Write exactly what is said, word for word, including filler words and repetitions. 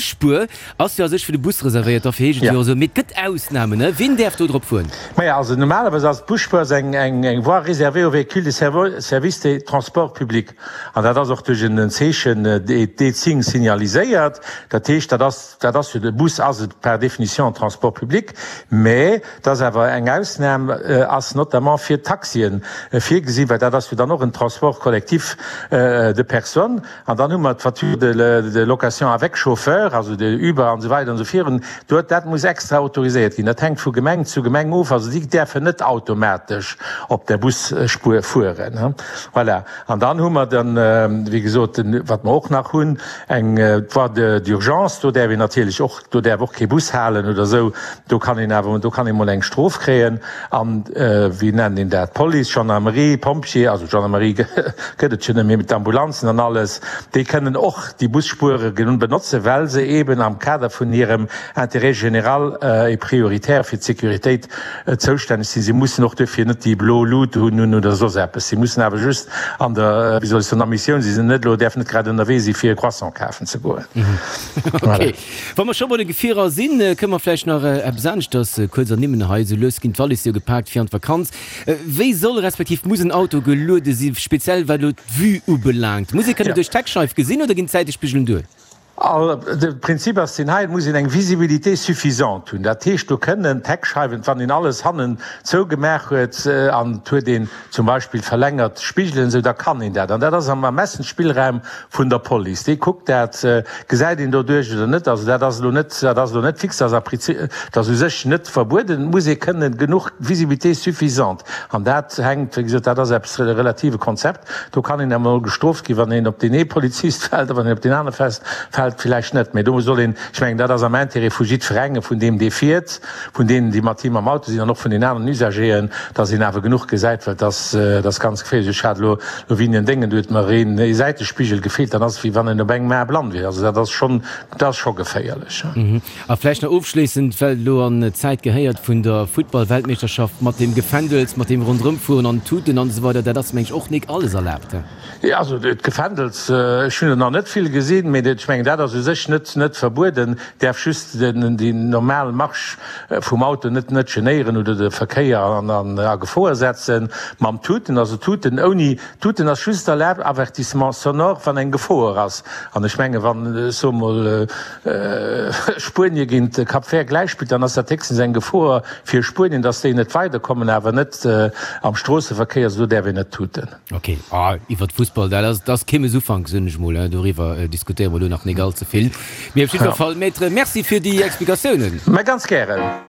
Busspuer ass jo a sech fir de Bus reservéiert, dofir heescht et jo esou. Mee et gëtt Ausnamen, ne? Wien däerf do drop fueren? Maja, also normalerweis ass d'Busspuer ass eng eng voie réservée aux véhicules de service de transport public. An dat ass och duerch en Zeechen, D-Zing, signaliséiert. Dat heescht, dat ass, dat ass jo, de Bus ass et par définition en transport public, mä et ass awer eng Ausnam ass notamment fir d'Taxien virgesinn, well dat ass jo dann och en transport collectif de personnes. An dann hu mer d'Voiture de location avec chauffeur, also de Uber an esou weider an esou virun. Do, dat muss extra autoriséiert ginn. Dat hänkt vu Gemeng zu Gemeng of. Also déi däerfen net automatesch op der Busspuer fueren. Voilà. An dann hu mer dann, wéi gesot, den, wat mer och nach hunn, eng Voie d'urgence. Do däerf een natierlech och, do däerf och kee Bus halen oder esou. Do kann een awer, do kann ee mol eng Strof kréien. An, wéi nennt een dat, Police, Gendarmerie, Pompjee, also Gendarmerie gëtt et jo net méi, mee d'Ambulanzen an alles, déi kënnen och déi Busspuere benotzen, well se eeben am Kader vun hirem Intérêt général et prioritaire fir d'Sécuritéit zoustänneg sinn. Si mussen och duerfir net déi blo Lut hunn oder soss eppes. Si mussen awer just an der, wéi soll ech soen, a Missioun sinn. Si sinn net elo, däerfen net grad ënnerwee si fir e Croissant kafen ze goen. Ok. Wa mer scho bei de Gefierer sinn, kënne mer vläicht nach eppes aneschters kuerz ernimmen hei. Esou lues ginn d'Wallis jo gepaakt fir an d'Vakanz. Wéi soll respektiv muss en Auto geluede sinn, speziell wat elo d'Vue ubelaangt? Muss ee kënnen duerch d'Heckscheif gesinn oder ginn d'Säitespigelen duer? De Prinzip ass deen hei, Et muss een eng Visibilité suffisante hunn. Dat heescht, do kënnen d'Heckscheiwen, wann een alles hannen zougemaach huet an et huet een zum Beispill verlängert Spigelen esou, da kann een dat. An dat ass am Ermessensspillraum vun der Police. Déi kuckt dat, gesäit een doduerch oder net. Also dat ass elo net, dat ass elo net fix, dat ass a Prinzip, dat ass u sech net verbueden. Et muss ee kënnen genuch Visibilité suffisante. An dat hänkt, wéi gesot, dat ass eppes e relative Konzept. Do kann een emol gestrooft ginn, wann een op deen ee Polizist fält a wann een op deen anere fält villäicht net. Mee do soll een, ech mengen, dat ass am Intérêt vu jiddwerengem, vun deem, dee fiert, vun deenen, déi mat him am Auto sinn an och vun den aneren Usageren, dass een awer genuch gesäit, well dass dat ass ganz geféierlech. Ech hat elo elo wéi en Déngen, do huet mer een ee Säitespigel gefeelt, dann ass et wéi wann een op engem Ae blann wier. Also dat ass schonn, dat ass scho geféierlech. A vläicht nach ofschléissend, well et elo an d'Zäit gehéiert vun der Futtball-Weltmeeschterschaft, mat deem Gefändels, mat deem Ronderëmfueren an Tuten an esou weider, dat ass meng ech och nik alles erlaabt, he? Jo, also d'Gefändels, ech hunn der nach net vill gesinn, mee ech mengen dat ass u sech net net verbueden, däerf just den déi normal Marche vum Auto net net genéieren oder de Verkéier an an a Gefoer setzen. Mam Tuten, also Tuten ouni Tuten ass just erlaabt, Avertissement sonore, wann eng Gefoer ass. An ech menge wann, ech soe mol, Spuenie géint Cap Vert gläich spillt, dann ass dat héchstens eng Gefoer fir Spuenien, datt déi net weiderkommen, awer net am Stroosseverkéier, also do däerf een net tuten. Ok, iwwert Fussball, dat ass, dat ass kee mes Ufank, soen ech mol, doriwwer diskutéiere mer elo nach nik all ze vill. Mee op jiddwer Fall, Maître, Merci fir déi Explikatiounen. Mä ganz gären.